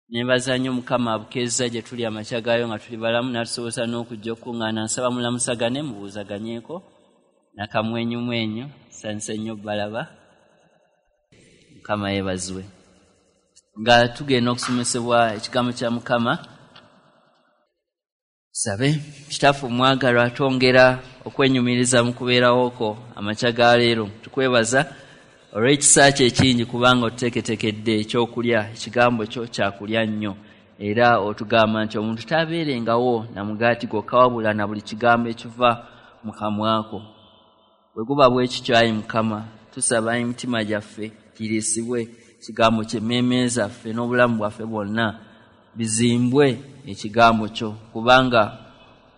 Nebaza nnyo Mukama abukeezza gye tuli amakya gaayo nga tuli balamu n'atusobozesa n'okujja okukuŋŋaana. Nsaba mulamusagane, mubuuzaganyeeko nakamwenyumwenyu. Nsanyuse nnyo balaba. Mukama yeebazibwe. Nga tugenda okusomesebwa ekigambo kya Mukama, tusabe. Kitaffe omwagalwa, twongera okwenyumiriza mu kubeerawo kwo amakya ga leero. Tukwebaza olw'ekisa kyo ekingi, kubanga otuteeketeekedde ekyokulya. Ekigambo kyo kyakulya nnyo, era otugamba nti omuntu tabeerengawo na mugaati gwokka, wabula na buli kigambo ekiva mu kamwako. Bwe guba bwe kityo, ayi Mukama, tusaba emitima gyaffe giriisibwe ekigambo kyo, emmeeme zaffe n'obulamu bwaffe bwonna bizimbwe ekigambo kyo, kubanga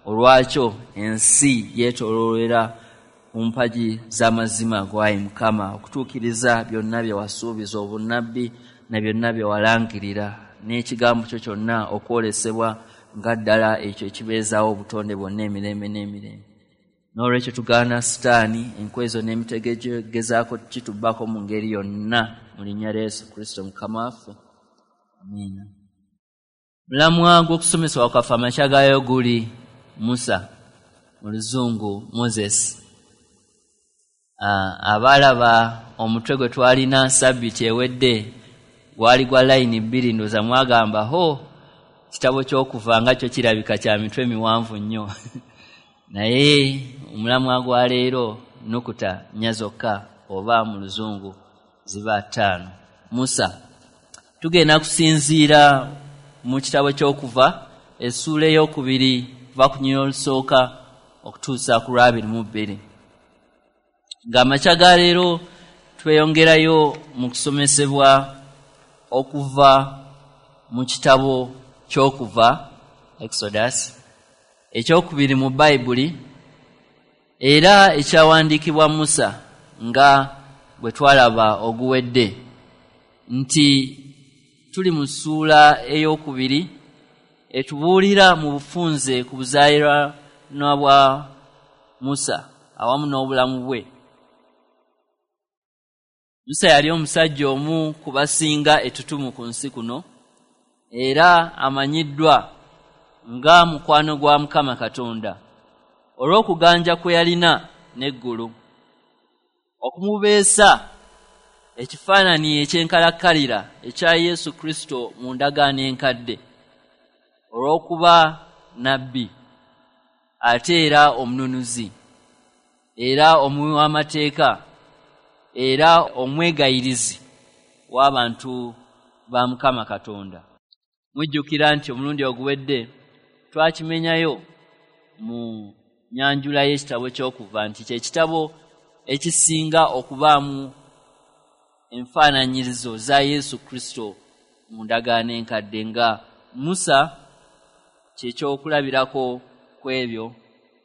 olwakyo ensi yeetooloolera ku mpagi z'amazima go, ayi Mukama, okutuukiriza byonna bye wasuubiza obunnabbi na byonna bye walangirira, n'ekigambo kyo kyonna okwolesebwa nga ddala ekyo ekibeezaawo obutonde bwonna emirembe n'emirembe. N'olwekyo tugaana Sitaani, enkwezo n'emitego egyogezaako kitubbako mu ngeri yonna, mu linnya lya Yesu Kristo Mukama waffe, amiina. Mulamwa gw'okusomesebwa kwaffe amakya gaayo guli Musa, mu Luzungu Moses. Abaalaba omutwe gwe twalina sabbiiti ewedde gwali gwa layini bbiri, ndowooza mwagamba ho kitabo ky'okuva nga kyo kirabika kya mitwe miwanvu nnyo. Naye omulamwa gwa leero nukuta nnya zokka, oba mu Luzungu ziba 5. Musa. Tugenda kusinziira mu kitabo ky'okuva essuula 2 kuva ku nnyiriri olusooka okutuusa ku lwa 22. Ng'amakya ga leero tweyongerayo mu kusomesebwa okuva mu kitabo ky'okuva, Exodus, 2 mu Bayibuli, era ekyawandiikibwa Musa nga bwe twalaba oguwedde, nti tuli mu ssuula 2 etubuulira mu bufunze ku buzaaliranwa bwa Musa awamu n'obulamu bwe. Musa yali omusajja omu ku basinga ettutumu ku nsi kuno, era amanyiddwa nga mukwano gwa Mukama Katonda olw'okuganja kwe yalina n'eggulu, okumubeesa ekifaananyi eky'enkalakkalira ekya Yesu Kristo mu ndagaano enkadde, olw'okuba nnabbi ate era omununuzi, era omuwi w'amateeka, era omwegayirizi w'abantu ba Mukama Katonda. Mujjukira nti omulundi oguwedde twakimenyayo mu nyanjula y'ekitabo ky'okuva nti kye kitabo ekisinga okubaamu enfaananyirizo za Yesu Kristo mu ndagaano enkadde, nga Musa kye kyokulabirako ku ebyo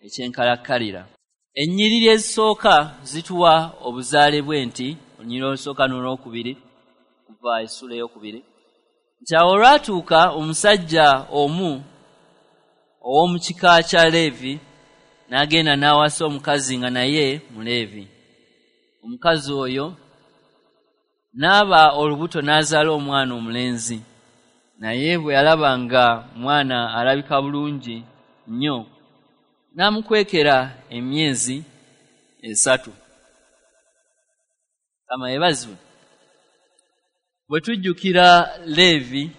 ekyenkalakkalira. Ennyiriri ezisooka zituwa obuzaale bwe, nti olunyiriri olusooka n'olwokubiri kuva essuula 2, nti awo olwatuuka omusajja omu ow'omu kika kya Leevi n'agenda n'awasa omukazi nga naye Muleevi. Omukazi oyo n'aba olubuto n'azaala omwana omulenzi, naye bwe yalaba nga mwana alabika bulungi nnyo, n'amukwekera emyezi 3. Mukama yeebazibwe. Bwe tujjukira Leevi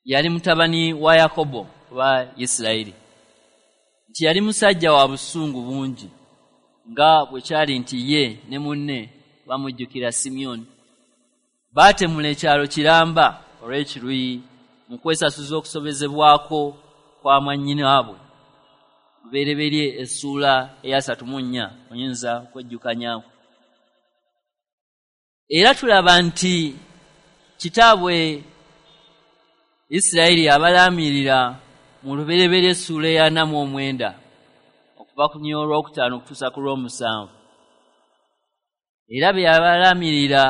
yali mutabani wa Yakobo oba Isirayiri, nti yali musajja wa busungu bungi, nga bwe kyali nti ye ne munne bamujjukira Simyoni baatemula ekyalo kiramba olw'ekiruyi mu kwesasuza okusobezebwako kwa mwannyinaabwe. Lubereberye essuula 34 oyinza okwejjukanyaako. Era tulaba nti kitaabwe Isirayiri abalaamirira mu Lubereberye essuula 49 okuva ku nnyiriri olwokutaano okutuusa ku lw'omusanvu. Era bye yabalaamirira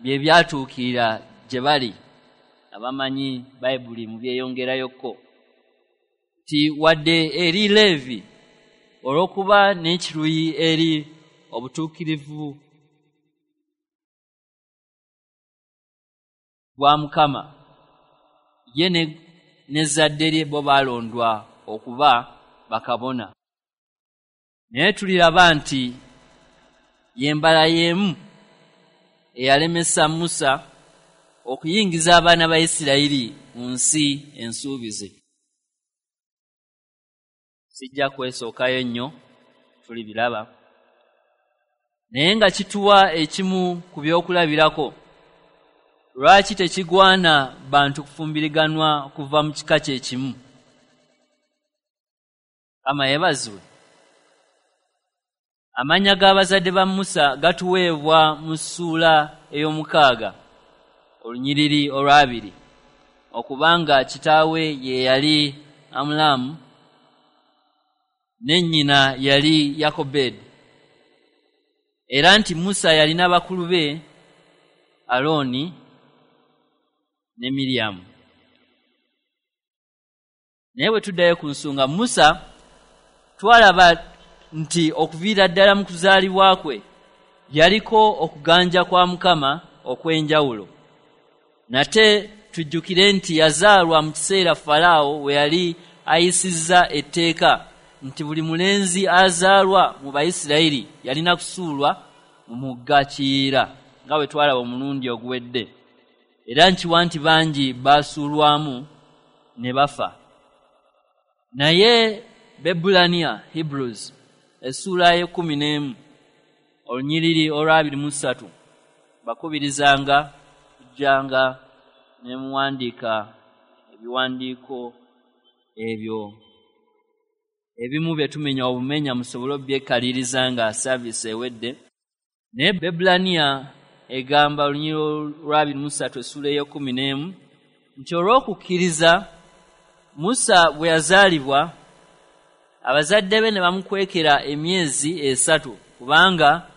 bye byatuukirira gye bali abamanyi Bayibuli mu byeyongerayokko, nti wadde eri Leevi olw'okuba n'ekiruyi eri obutuukirivu bwa Mukama. Ye n'ezzadde lye bo baalondwa okuba bakabona. Naye tuliraba nti y'embala y'emu eyalemesa Musa okuyingiza abaana ba Isirayiri mu nsi ensuubize. Sijja kwesookayo nnyo, tulibiraba. Naye nga kituwa ekimu ku byokulabirako lwaki tekigwana bantu kufumbiriganwa kuva mu kika kye kimu. Mukama yeebazibwe. Amannya g'abazadde ba Musa gatuweebwa mu ssuula ey'omukaaga olunyiriri olwabiri, okubanga kitaawe ye yali Amulaamu ne nnyina yali Yakobedi, era nti Musa yalina bakulu be Alooni ne Miryamu. Naye bwe tuddayo ku nsonga Musa, twalaba nti okuviira ddala mu kuzaalibwa kwe yaliko okuganja kwa Mukama okw'enjawulo. Nate tujjukire nti yazaalwa mu kiseera Falaawo we yali ayisizza etteeka nti buli mulenzi azaalwa mu Bayisirayiri yalina kusuulwa mu mugga Kiyira, nga bwe twalaba omulundi oguwedde. Era nkiwa nti bangi baasuulwamu ne bafa. Naye Bebbulaniya, Hebrews, essuula y'ekkumi n'emu olunyiriri olwabiri mu ssatu, bakubirizanga kujjanga ne muwandiika ebiwandiiko ebyo ebimu bye tumenya obumenya musobole obbyekaliriza nga saaviisi ewedde. Naye Bebbulaniya egamba olunyiriri olwabiri mu ssatu essuula ey'ekkumi n'emu nti olw'okukkiriza Musa bwe yazaalibwa abazadde be ne bamukwekera emyezi 3 kubanga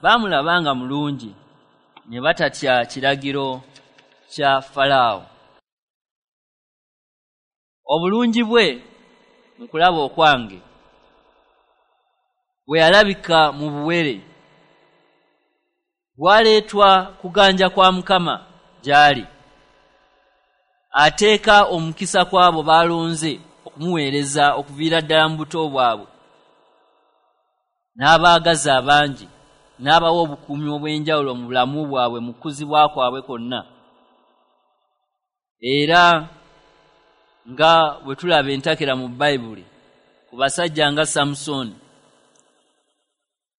baamulabanga mulungi ne batatya kiragiro kya Falaawo. Obulungi bwe mu kulaba okwange bwe yalabika mu buwere bwaleetwa kuganja kwa Mukama gy'ali, ateeka omukisa kw'abo b'alonze okumuweereza okuviira ddala mu buto bwabwe, n'abaagaza abangi, n'abawa obukuumi obw'enjawulo mu bulamu bwabwe mu kukuzibwa kwabwe kwonna. Era nga bwe tulaba entakera mu Bayibuli ku basajja nga Samusooni,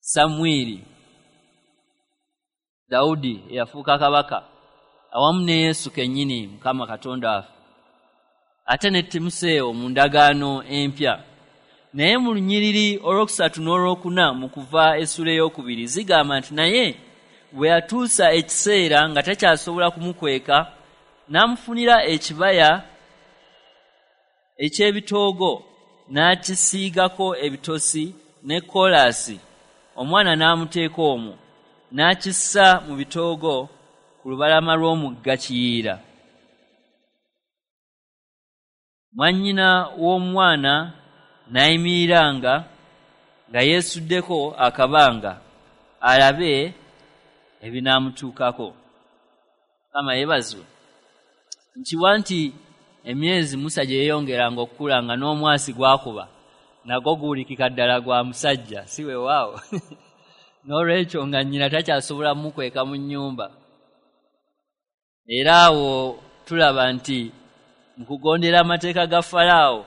Samwiri, Dawudi eyafuuka kabaka, awamu ne Yesu kennyini Mukama Katonda waffe, ate ne Timoseewo mu ndagaano empya. Naye mu lunyiriri olwokusatu n'olwokuna mu Kuva essuula ey'okubiri zigamba nti naye bwe yatuusa ekiseera nga takyasobola kumukweka, n'amufunira ekibaya eky'ebitoogo n'akisiigako ebitosi ne koolaasi, omwana n'amuteeka omwo, n'akissa mu bitoogo ku lubalama lw'omugga Kiyira. Mwannyina w'omwana n'ayimiriranga nga yeesuddeko akabanga alabe ebinaamutuukako. Mukama yeebazibwe. Nkiwa nti emyezi Musa gye yeeyongeranga okukula nga n'omwasi gwakuba nagwo guwulikika ddala gwa musajja, si weewaawo. N'olwekyo nga nnyina takyasobola mmukweka mu nnyumba. Era awo tulaba nti mu kugondera amateeka ga Falaawo,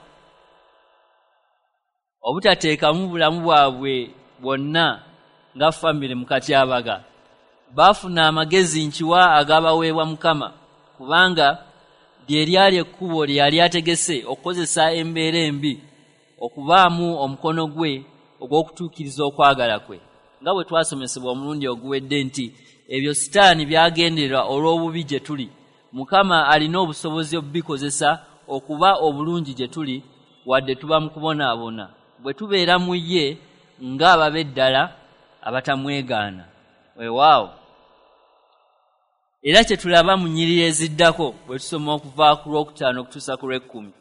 obutateekamu bulamu bwabwe bwonna nga famire mu katyabaga, baafuna amagezi nkiwa agabaweebwa Mukama, kubanga lye lyali ekkubo lye yali ategese okukozesa embeera embi okubaamu omukono gwe ogw'okutuukiriza okwagala kwe, nga bwe twasomesebwa omulundi oguwedde nti ebyo Sitaani by'agenderera olw'obubi gye tuli, Mukama alina obusobozi obubikozesa okuba obulungi gye tuli wadde tuba mu kubonaabona, bwe tubeera mu ye ng'ababe ddala abatamwegaana. Weewaawo. Era kye tulaba mu nnyiriri eziddako bwe tusoma okuva ku lwokutaano okutuusa ku lw'ekkumi,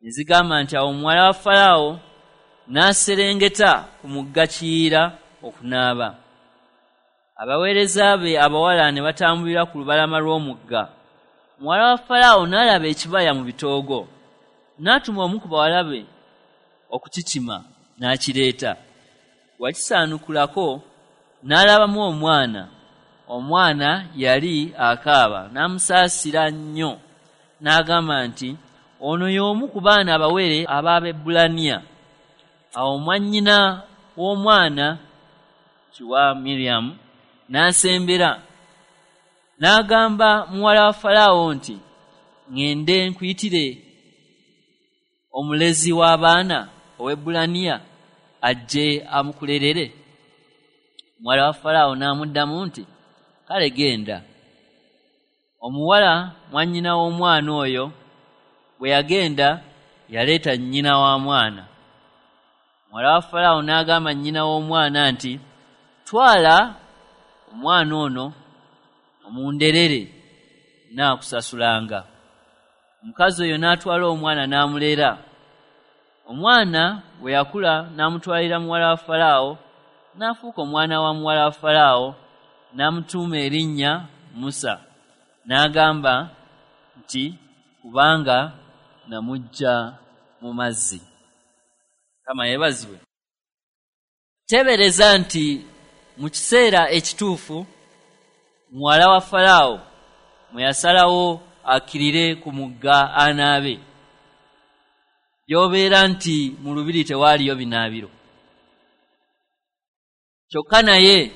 ne zigamba nti awo omuwala wa Falaawo n'aserengeta ku mugga Kiyira okunaaba. Abaweereza be abawala ne batambulira ku lubalama lw'omugga. Muwala wa Falaawo n'alaba ekibaya mu bitoogo, n'atuma omu ku bawala be okukikima, n'akireeta. Wakisaanukulako n'alabamu omwana. Omwana yali akaaba, n'amusaasira nnyo, n'agamba nti, ono y'omu ku baana abawere ab'Abaebbulaniya. Awo mwannyina w'omwana kiwa Miriyamu n'asembera, n'agamba muwala wa Falaawo nti, ŋŋende nkuyitire omulezi w'abaana ow'Ebbulaniya ajje amukulerere. Muwala wa Falaawo n'amuddamu nti, kale genda. Omuwala mwannyina w'omwana oyo bwe yagenda, yaleeta nnyina wa mwana. Muwala wa Falaawo n'agamba nnyina w'omwana nti, twala omwana ono omunderere, naakusasulanga. Omukazi oyo n'atwala omwana n'amulera. Omwana bwe yakula n'amutwalira muwala wa Falaawo, n'afuuka omwana wa muwala wa Falaawo, n'amutuuma erinnya Musa, n'agamba nti, kubanga namuggya mu mazzi. Mukama yeebazibwe. Teebereza nti mu kiseera ekituufu muwala wa Falaawo mwe yasalawo akkirire ku mugga anaabe, gy'obeera nti mu lubiri tewaaliyo binaabiro. Kyokka naye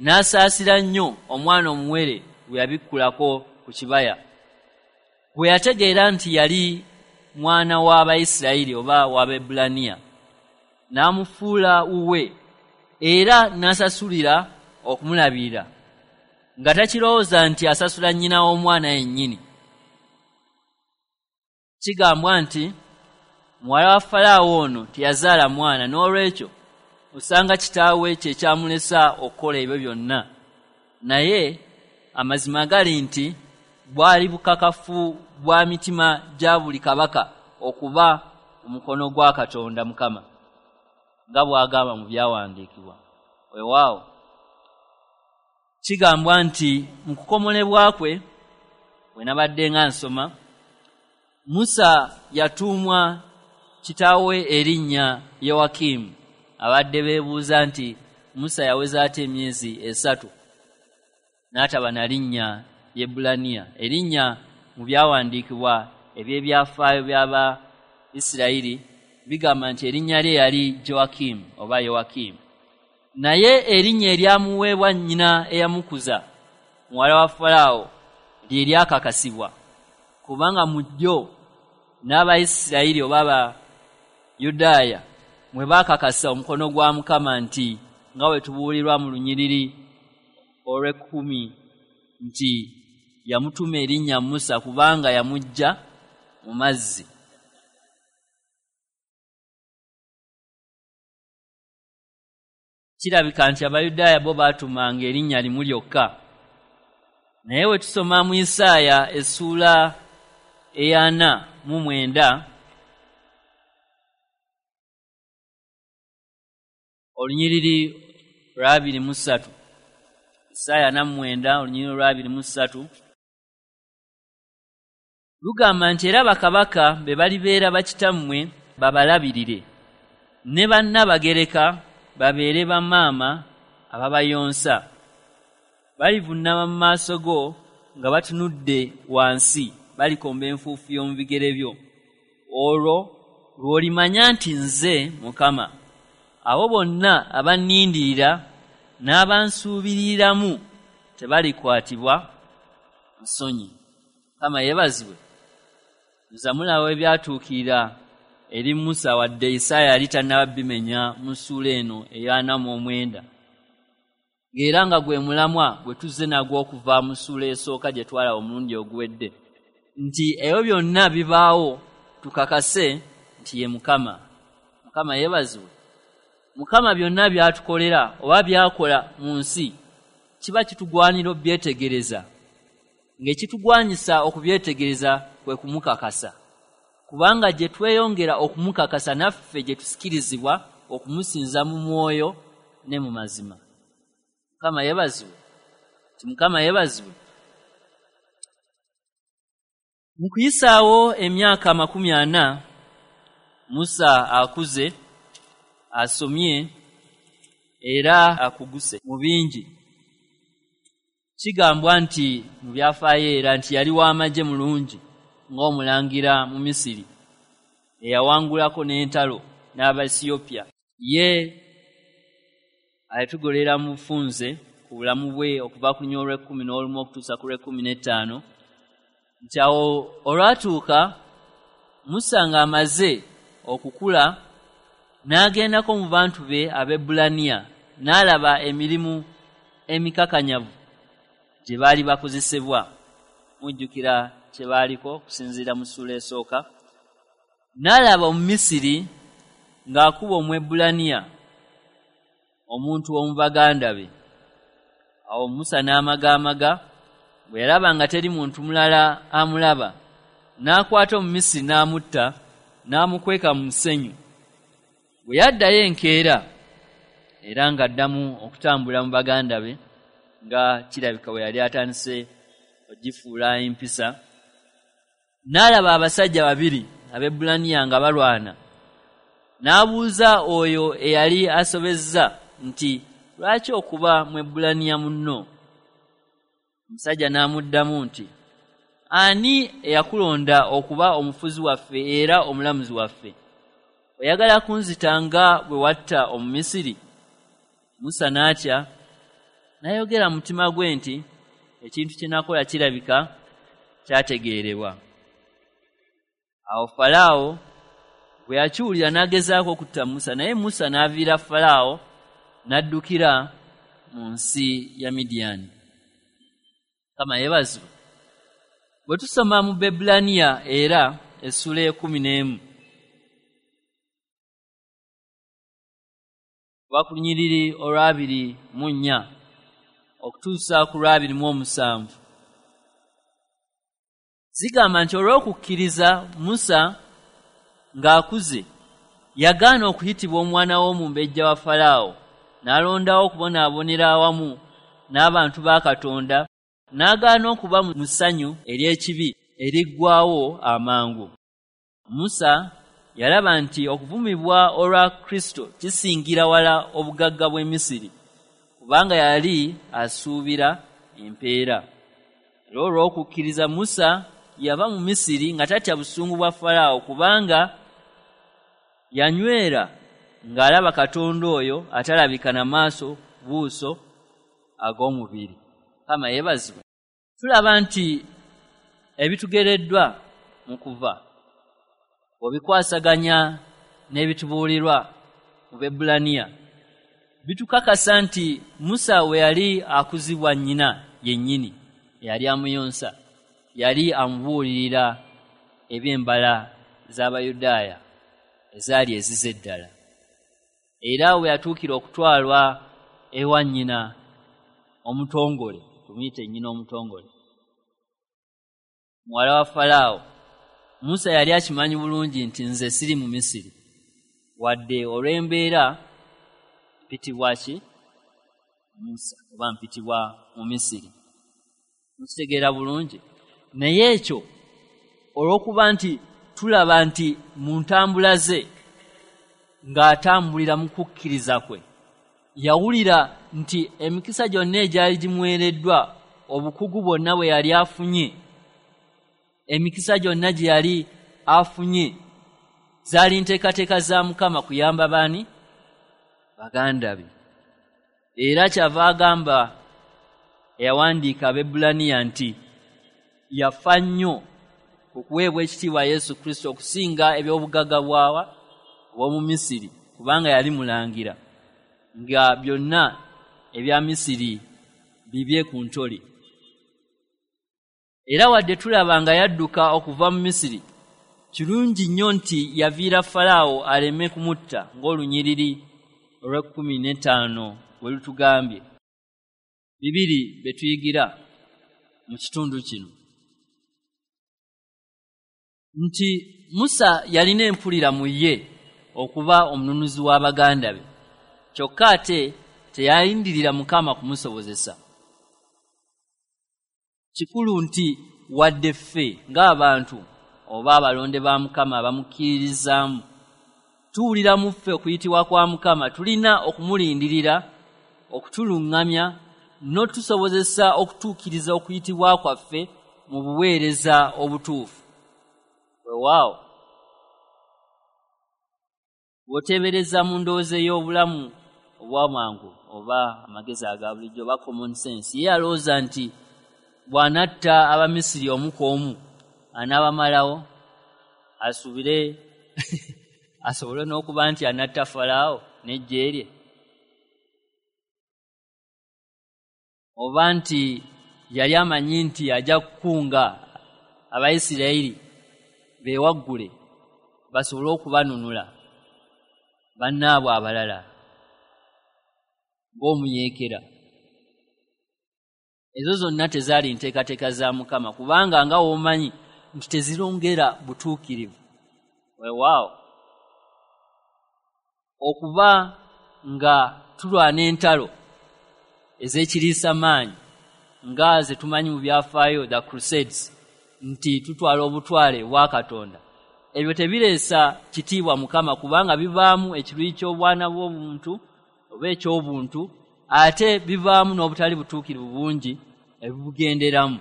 n'asaasira nnyo omwana omuwere gwe yabikkulako ku kibaya, bwe yategeera nti yali mwana w'Abayisirayiri oba w'Abaebbulaniya, n'amufuula wuwe era n'asasulira okumulabirira, nga takirowooza nti asasula nnyina w'omwana yennyini. Kigambwa nti muwala wa Falaawo ono teyazaala mwana, n'olwekyo osanga kitaawe kye kyamulesa okukola ebyo byonna. Naye amazima gali nti bwali bukakafu bwa mitima gya buli kabaka okuba omukono gwa Katonda Mukama, nga bw'agamba mu byawandiikibwa. Weewaawo kigambwa nti mu kukomolebwa kwe, bwe nabadde nga nsoma, Musa yatuumwa kitaawe erinnya Yowakimu. Abadde beebuuza nti Musa yaweza ate emyezi 3 n'ataba na linnya Ly'Ebbulaniya, erinnya mu byawandiikibwa eby'ebyafaayo by'Abayisirayiri bigamba nti erinnya lye yali Joakimu oba Yowakimu. Naye erinnya eryamuweebwa nnyina eyamukuza, muwala wa Falaawo, lye lyakakasibwa, kubanga mu lyo n'Abayisirayiri oba Abayudaaya mwe baakakasa omukono gwa Mukama nti, nga bwe tubuulirwa mu lunyiriri olw'ekumi nti yamutuuma erinnya Musa kubanga yamuggya mu mazzi. Kirabika nti Abayudaaya bo baatumanga erinnya limu lyokka. Naye we tusoma mu Isaaya essuula 49 olunyiriri lwa 23, Isaaya 49 olunyiriri lwa 23 lugamba nti, era bakabaka be balibeera bakitammwe babalabirire, ne bannabagereka babeere bamaama ababayonsa. Balivuunama mu maaso go nga batunudde wansi, balikomba enfuufu y'omu bigere byo. Olwo lw'olimanya nti nze Mukama. Abo bonna abannindirira n'abansuubiriramu tebalikwatibwa nsonyi. Mukama yeebazibwe. Nza mulaba ebyatuukirira eri Musa, wadde Isaaya yali tannaba bimenya mu ssuula eno eya 49, ng'era nga gwe mulamwa gwe tuzze nagwo okuva mu ssuula esooka gye twalaba omulundi oguwedde, nti ebyo byonna bibaawo tukakase nti ye Mukama. Mukama yeebazibwe. Mukama byonna by'atukolera oba by'akola mu nsi kiba kitugwanira okubyetegereza, ng'ekitugwanyisa okubyetegereza kwe kumukakasa, kubanga gye tweyongera okumukakasa naffe gye tusikirizibwa okumusinza mu mwoyo ne mu mazima. Mukama yeebazibwe. Nti Mukama yeebazibwe. Mu kuyisaawo emyaka 40, Musa akuze, asomye era akuguse mu bingi. Kigambwa nti mu byafaayo era nti yali w'amagye mulungi ng'omulangira mu Misiri, eyawangulako n'entalo n'Abaesiyopya. Ye alitugolera mu bufunze ku bulamu bwe okuva ku lunyiriri olw'e11 okutuusa ku lw'e15, nti awo olwatuuka Musa ng'amaze okukula n'agendako mu bantu be Abaebbulaniya, n'alaba emirimu emikakanyavu gye baali bakozesebwa. Mujjukira kye baaliko okusinziira mu ssuula esooka. N'alaba Omumisiri ng'akuba Omwebbulaniya, omuntu w'omu baganda be. Awo Musa n'amagaamaga, bwe yalaba nga teri muntu mulala amulaba, n'akwata Omumisiri n'amutta, n'amukweka mu musenyu. Bwe yaddayo enkeera, era ng'addamu okutambula mu baganda be, nga kirabika bwe yali atandise ogifuula empisa, n'alaba abasajja babiri Abaebbulaniya nga balwana. N'abuuza oyo eyali asobezza nti, lwaki okuba Mwebbulaniya munno? Omusajja n'amuddamu nti, ani eyakulonda okuba omufuzi waffe era omulamuzi waffe? Oyagala kunzita nga bwe watta Omumisiri? Musa n'atya, n'ayogera mu mutima gwe nti, ekintu kye nakola kirabika kyategeerebwa. Awo Falaawo bwe yakiwulira n'agezaako okutta Musa, naye Musa n'aviira Falaawo n'addukira mu nsi ya Midiyaani. Mukama yeebazibwe. Bwe tusoma mu Baebbulaniya era essula 11, kuva ku lunyiriri olw'24 okutuusa ku lw'27, zigamba nti olw'okukkiriza Musa ng'akuze yagaana okuyitibwa omwana w'omumbejja wa Falaawo, n'alondawo okubonaabonera awamu n'abantu ba Katonda, n'agaana okuba mu ssanyu ery'ekibi eriggwaawo amangu. Musa yalaba nti okuvumibwa olwa Kristo kisingira wala obugagga bw'e Misiri, kubanga yali asuubira empeera. Era olw'okukkiriza Musa yava mu Misiri nga tatya busungu bwa Falaawo, kubanga yanywera ng'alaba Katonda oyo atalabika na maaso buuso ag'omubiri. Mukama yeebazibwe. Tulaba nti ebitugereddwa mu kuva obikwasaganya n'ebitubuulirwa mu Baebbulaniya bitukakasa nti Musa we yali akuzibwa nnyina yennyini eyali amuyonsa, yali amubuulirira eby'embala z'Abayudaaya ezaali ezize ddala. Era we yatuukira okutwalwa ewa nnyina omutongole, tumuyite nnyina omutongole, muwala wa Falaawo, Musa yali akimanyi bulungi nti nze siri mu Misiri, wadde olw'embeera mpitibwa ki Musa oba mpitibwa mu Misiri. Mukitegeera bulungi. Naye ekyo olw'okuba nti tulaba nti mu ntambula ze ng'atambulira mu kukkiriza kwe, yawulira nti emikisa gyonna egyali gimuweereddwa, obukugu bwonna bwe yali afunye, emikisa gyonna gye yali afunye zaali nteekateeka za Mukama kuyamba baani? Baganda be. Era kyava agamba eyawandiika Abaebbulaniya nti yafa nnyo okuweebwa ekitiibwa Yesu Kristo okusinga eby'obugagga bwawa obw'omu Misiri, kubanga yali mulangira nga byonna ebya Misiri bibye ku ntoli. Era wadde tulaba nga yadduka okuva mu Misiri, kirungi nnyo nti yaviira Falaawo aleme kumutta ng'olunyiriri olw'15 bwe lutugambye. Bibiri bye tuyigira mu kitundu kino, nti Musa yalina empulira mu ye okuba omununuzi w'abaganda be, kyokka ate teyalindirira Mukama kumusobozesa. Kikulu nti wadde ffe ng'abantu oba abalonde ba Mukama abamukkiririzaamu tuwulira mu ffe okuyitibwa kwa Mukama, tulina okumulindirira okutuluŋŋamya n'otusobozesa okutuukiriza okuyitibwa kwaffe mu buweereza obutuufu. Weewaawo bw'oteebereza mu ndowooza ey'obulamu obw'amangu oba amagezi aga bulijjo oba common sense, ye alowooza nti bw'anatta Abamisiri omu ku omu anaabamalawo, asuubire asobole n'okuba nti anatta Falaawo n'eggye lye, oba nti yali amanyi nti ajja kukunga Abayisirayiri beewaggule basobole okubanunula bannaabwe abalala ng'omuyeekera. Ezo zonna tezaali nteekateeka za Mukama, kubanga nga w'omanyi nti tezirongera butuukirivu. Weewaawo okuba nga tulwana entalo ez'ekiriisa maanyi nga ze tumanyi mu byafaayo, the Crusades, nti tutwala obutwale bwa Katonda, ebyo tebireesa kitiibwa Mukama, kubanga bivaamu ekiruyi ky'obwana bw'obuntu oba eky'obuntu, ate bivaamu n'obutali butuukirivu bungi ebibugenderamu,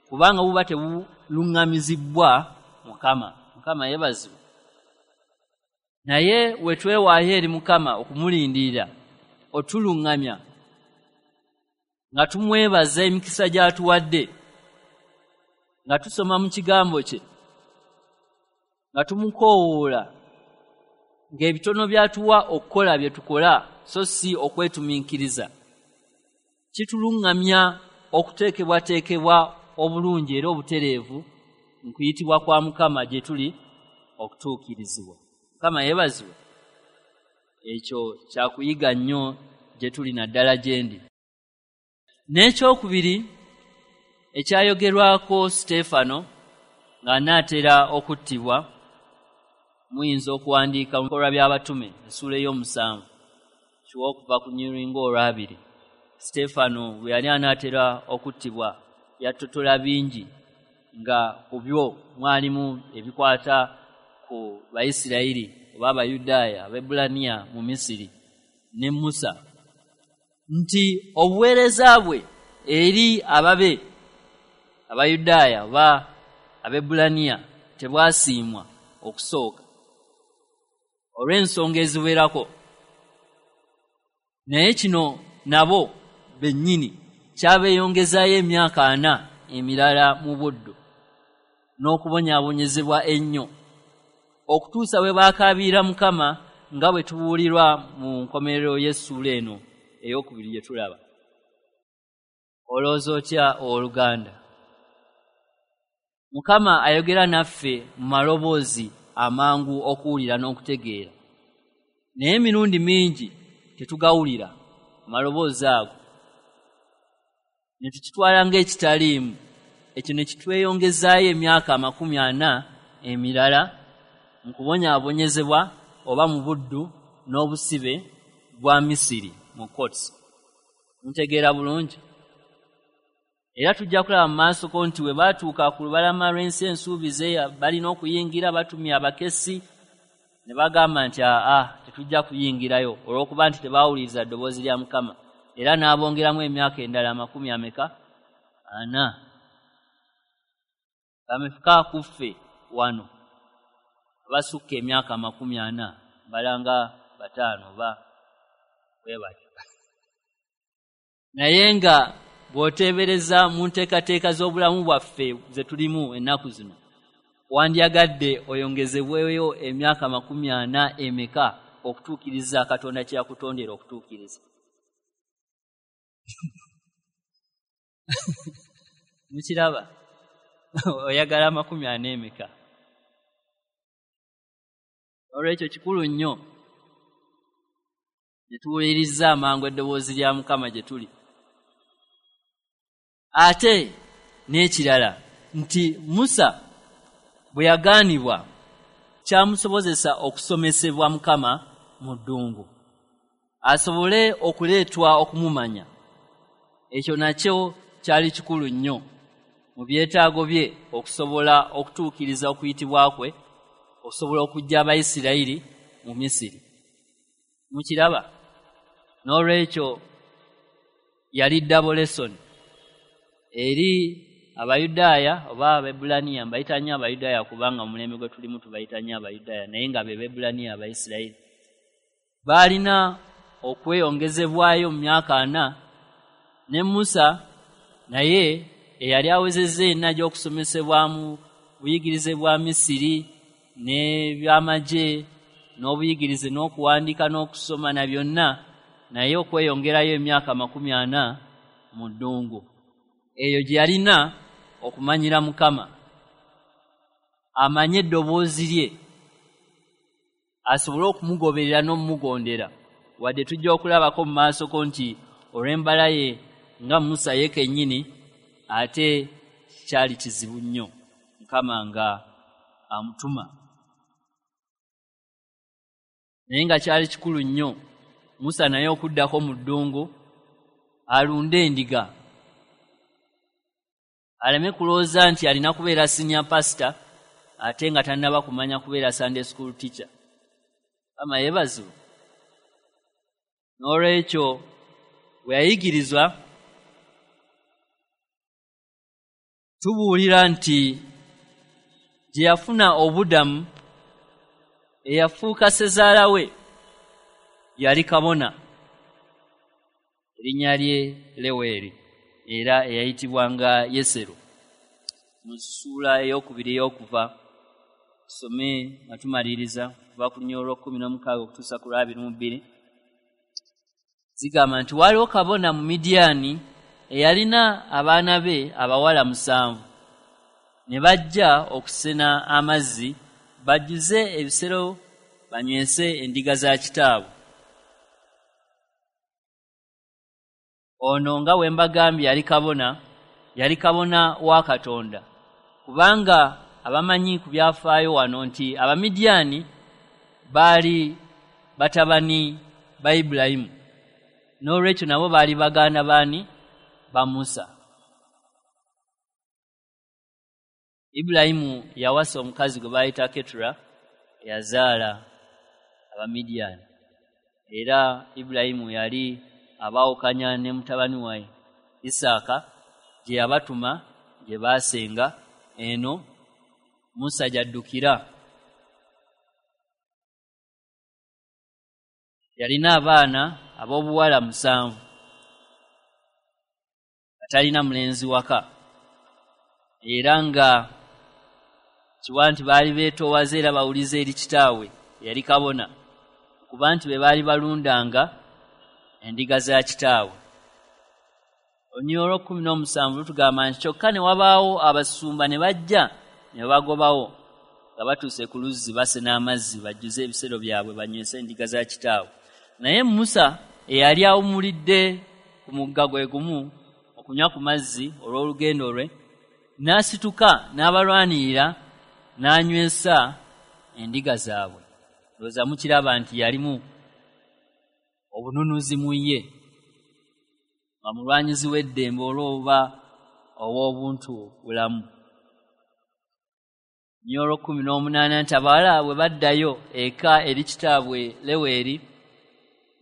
kubanga buba tebuluŋŋamizibwa Mukama. Mukama yeebazibwe. Naye we twewaayo eri Mukama okumulindirira otuluŋŋamya nga tumwebaza emikisa gy'atuwadde, nga tusoma mu kigambo kye, nga tumukoowoola, ng'ebitono by'atuwa okukola bye tukola so si okwetumiikiriza, kituluŋŋamya okuteekebwateekebwa obulungi era obutereevu mu kuyitibwa kwa Mukama gye tuli okutuukirizibwa. Mukama yeebazibwe. Ekyo kyakuyiga nnyo gye tuli, naddala gye ndi. N'ekyokubiri ekyayogerwako Siteefano ng'anaatera okuttibwa, muyinza okuwandiika mu Bikolwa by'Abatume essuula ey'omusanvu kiwa okuva ku lunyiriri olwabiri. Siteefano bwe yali anaatera okuttibwa yattotola bingi, nga ku byo mwalimu ebikwata ku Bayisirayiri oba Abayudaaya Abaebbulaniya mu Misiri ne Musa, nti obuweereza bwe eri ababe Abayudaaya oba Abaebbulaniya tebwasiimwa okusooka olw'ensonga eziwerako, naye kino nabo bennyini kyabeeyongezaayo emyaka 40 emirala mu buddu n'okubonyaabonyezebwa ennyo, okutuusa bwe baakaabirira Mukama nga bwe tubuulirwa mu nkomerero y'essuula eno ey'okubiri gye tulaba. Olowooza otya owooluganda? Mukama ayogera naffe mu maloboozi amangu okuwulira n'okutegeera, naye emirundi mingi tetugawulira amaloboozi ago, ne tukitwala ng'ekitaliimu. Ekyo ne kitweyongezaayo emyaka 40 emirala mu kubonyaabonyezebwa oba mu buddu n'obusibe bwa Misiri mu Cots. Ntegeera bulungi? Era tujja kulaba mu maaso ko nti we baatuuka ku lubalama lw'ensi ensuubize balina okuyingira, batumya abakessi ne bagamba nti aa tetujja kuyingirayo, olw'okuba nti tebaawuliriza ddoboozi lya Mukama, era n'abongeramu emyaka endala 40. Bameka ku ffe wano abasukka emyaka 40? Balanga 5 oba bwe batyo. Naye nga bw'oteebereza mu nteekateeka z'obulamu bwaffe ze tulimu ennaku zino, wandyagadde oyongezebweyo emyaka 40 emeka okutuukiriza Katonda kye yakutondera okutuukiriza? Mukiraba? Oyagala 40 emeka? Olwekyo kikulu nnyo ne tuwuliriza amangu eddoboozi lya Mukama gye tuli. Ate n'ekirala nti Musa bwe yagaanibwa kyamusobozesa okusomesebwa Mukama mu ddungu, asobole okuleetwa okumumanya. Ekyo nakyo kyali kikulu nnyo. mu byetaago bye okusobola okutuukiriza okuyitibwa kwe, okusobola okuggya Abayisirayiri mu Misiri. Mukiraba? N'olwekyo yali double lesson eri Abayudaaya oba Abaebbulaniya. Mbayita nnyo Abayudaaya kubanga mu mulembe gwe tulimu tubayita nnyo Abayudaaya, naye nga be Bebbulaniya Abayisirayiri. Baalina okweyongezebwayo mu myaka 40, ne Musa naye eyali awezezza ena gy'okusomesebwa mu buyigirize bwa Misiri n'ebyamagye n'obuyigirize n'okuwandiika n'okusoma na byonna, naye okweyongerayo emyaka 40 mu ddungu eyo gye yalina okumanyira Mukama, amanye eddoboozi lye, asobole okumugoberera n'omugondera. Wadde tujja okulabako mu maasoko nti olw'embala ye nga Musa ye kennyini ate kyali kizibu nnyo Mukama nga amutuma, naye nga kyali kikulu nnyo Musa naye okuddako mu ddungu alunde endiga, aleme kulowooza nti alina kubeera senior pastor ate nga tannaba kumanya kubeera Sunday school teacher. Mukama yeebazibwe. N'olwekyo bwe yayigirizwa, tubuulira nti gye yafuna obudamu, eyafuuka ssezaala we yali kabona, erinnya lye Leweeri, era eyayitibwanga Yesero. Mu ssuula 2 ey'Okuva, tusome nga tumaliriza kuva ku lunyiriri olw'okkumi n'omukaaga okutuusa ku lw'abiri mu bbiri. Zigamba nti waaliwo kabona mu Midiyaani eyalina abaana be abawala 7, ne bajja okusena amazzi bajjuze ebisero banywese endiga za kitaabwe. Ono nga bwe mbagambye yali kabona, yali kabona wa Katonda, kubanga abamanyi ku byafaayo wano nti Abamidiyaani baali batabani ba Ibulayimu, n'olwekyo nabo baali baganda baani? Ba Musa. Ibulayimu yawasa omukazi gwe baayita Ketura, eyazaala Abamidiyaani, era Ibulayimu yali abaawukanya ne mutabani we Isaaka gye yabatuma gye baasenga, eno Musa gy'addukira. Yalina abaana ab'obuwala 7, nga talina mulenzi waka, era nga kiwa nti baali beetoowaze era bawulize eri kitaabwe eyali kabona, okuba nti be baali balundanga endiga za kitaabwe. Olunyiriri olw'okkumi n'omusanvu lutugamba nti kyokka ne wabaawo abasumba ne bajja ne babagobawo nga batuuse ku luzzi basena amazzi bajjuze ebisero byabwe banywese endiga za kitaabwe. Naye Musa eyali awummulidde ku mugga gwe gumu okunywa ku mazzi olw'olugendo lwe, n'asituka n'abalwanirira n'anywesa endiga zaabwe. Ndowooza mukiraba nti yalimu obununuzi mu ye, nga mulwanyizi w'eddembe olw'oba ow'obuntu bulamu. Nnyo olw'okkumi n'omunaana nti abawala bwe baddayo eka eri kitaabwe Leweeri,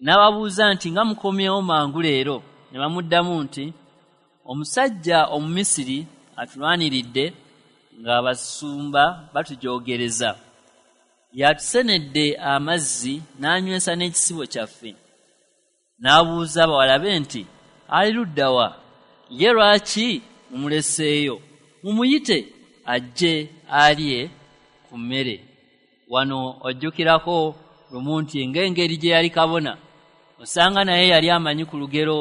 n'ababuuza nti, "Nga mukomyewo mangu leero?" Ne bamuddamu nti, "Omusajja Omumisiri atulwaniridde ng'abasumba batujoogereza, yatusenedde amazzi n'anywesa n'ekisibo kyaffe." N'abuuza abawala be nti, "Ali ludda wa ye? Lwaki mumuleseeyo? Mumuyite ajje alye ku mmere." Wano ojjukirako lumu nti ng'engeri gye yali kabona, osanga naye yali amanyi ku lugero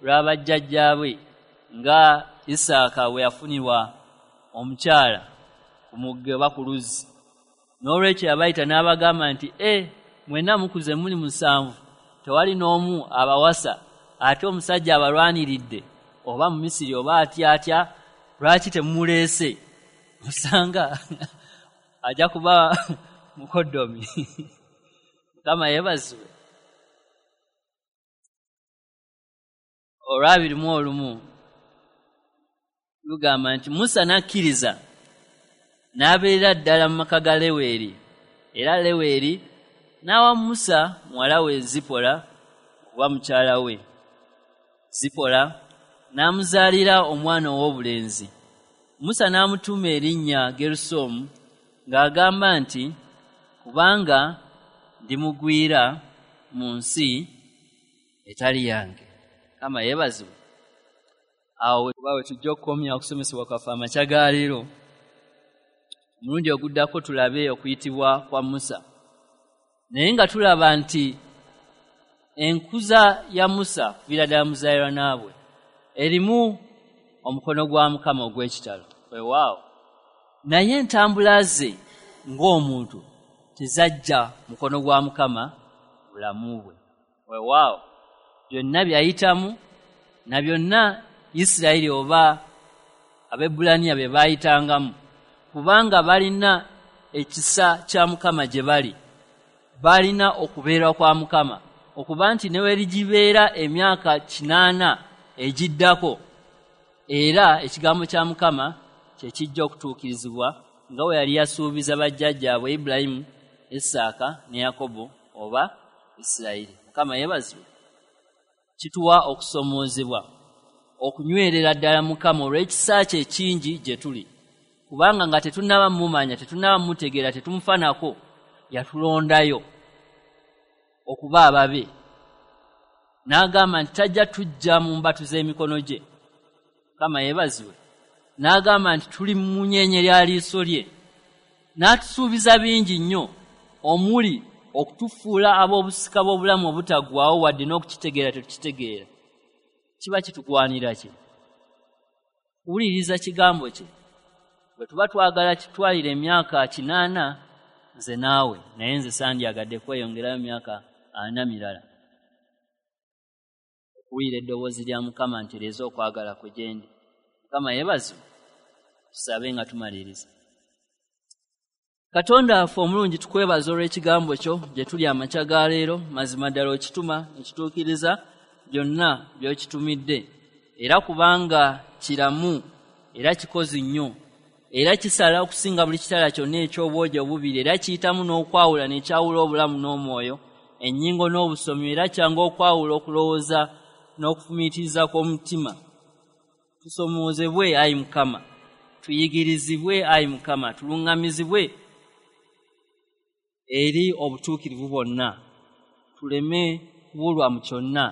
lw'abajjajjaabwe nga Isaaka bwe yafunirwa omukyala ku mugga oba ku luzzi. N'olwekyo yabayita n'abagamba nti, "E, mwenna mukuze muli 7, tewali n'omu abawasa, ate omusajja abalwaniridde oba mu Misiri oba atya atya, lwaki temumuleese? Osanga ajja kuba mukoddomi." Mukama yeebazibwe. Olw'abiri mu olumu Lugamba nti Musa n'akkiriza n'abeerera ddala mu maka ga Leweri, era Leweri n'awa Musa muwala we Zipola okuba mukyala we. Zipola n'amuzaalira omwana ow'obulenzi. Musa n'amutuuma erinnya Gerusomu, ng'agamba nti, kubanga ndi mugwira mu nsi etali yange. Mukama yeebazibwe. Awo we tujja okukomya okusomesebwa kwaffe amakya ga leero. Omulundi oguddako tulabe okuyitibwa kwa Musa. Naye nga tulaba nti enkuza ya Musa kuviira ddala muzaaliranwa bwe erimu omukono gwa Mukama ogw'ekitalo. Weewaawo. Naye entambula ze ng'omuntu tezajja mukono gwa Mukama bulamu bwe. Weewaawo. Byonna byayitamu na byonna Isirayiri oba Abaebbulaniya bye baayitangamu, kubanga balina ekisa kya Mukama gye bali, balina okubeera kwa Mukama, okuba nti ne werigibeera emyaka 80 egiddako, era ekigambo kya Mukama kye kijja okutuukirizibwa nga bwe yali yasuubiza bajjajjaabwe Ibulayimu, Isaaka ne Yakobo oba Isirayiri. Mukama yeebazibwe. Kituwa okusomoozebwa okunywerera ddala Mukama olw'ekisa kye ekingi gye tuli, kubanga nga tetunnaba mumanya, tetunnaba mutegeera, tetumufaanako, yatulondayo okuba ababe. N'agamba nti tajja tujja mu mbatu z'emikono gye. Mukama yeebazibwe. N'agamba nti tuli mu munyenye lya liiso lye. N'atusuubiza bingi nnyo, omuli okutufuula ab'obusika bw'obulamu obutaggwaawo, wadde n'okukitegeera tetukitegeera. Kiba kitugwanira ki? Kuwuliriza kigambo kye. Bwe tuba twagala kitwalire emyaka 80 nze naawe, naye nze sandyagadde kweyongerayo myaka 40 mirala. Okuwulira eddoboozi lya Mukama ntereeze okwagala kwe gye ndi. Mukama yeebazibwe. Tusabe nga tumaliriza. Katonda waffe omulungi, tukwebaza olw'ekigambo kyo gye tuli amakya ga leero. Mazima ddala okituma ekituukiriza byonna by'okitumidde, era kubanga kiramu era kikozi nnyo, era kisala okusinga buli kitala kyonna eky'obwogi obubiri, era kiyitamu n'okwawula n'ekyawula obulamu n'omwoyo, ennyingo n'obusomi, era kyanga okwawula okulowooza n'okufumiitiriza kw'omutima. Tusomoozebwe ayi Mukama, tuyigirizibwe ayi Mukama, tuluŋŋamizibwe eri obutuukirivu bwonna, tuleme kubulwa mu kyonna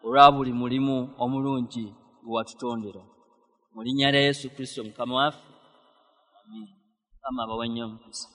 olwa buli mulimu omulungi gwe watutondera. Mu linnya lya Yesu Kristo Mukama waffe, amiina. Mukama abawe nnyo omukisa.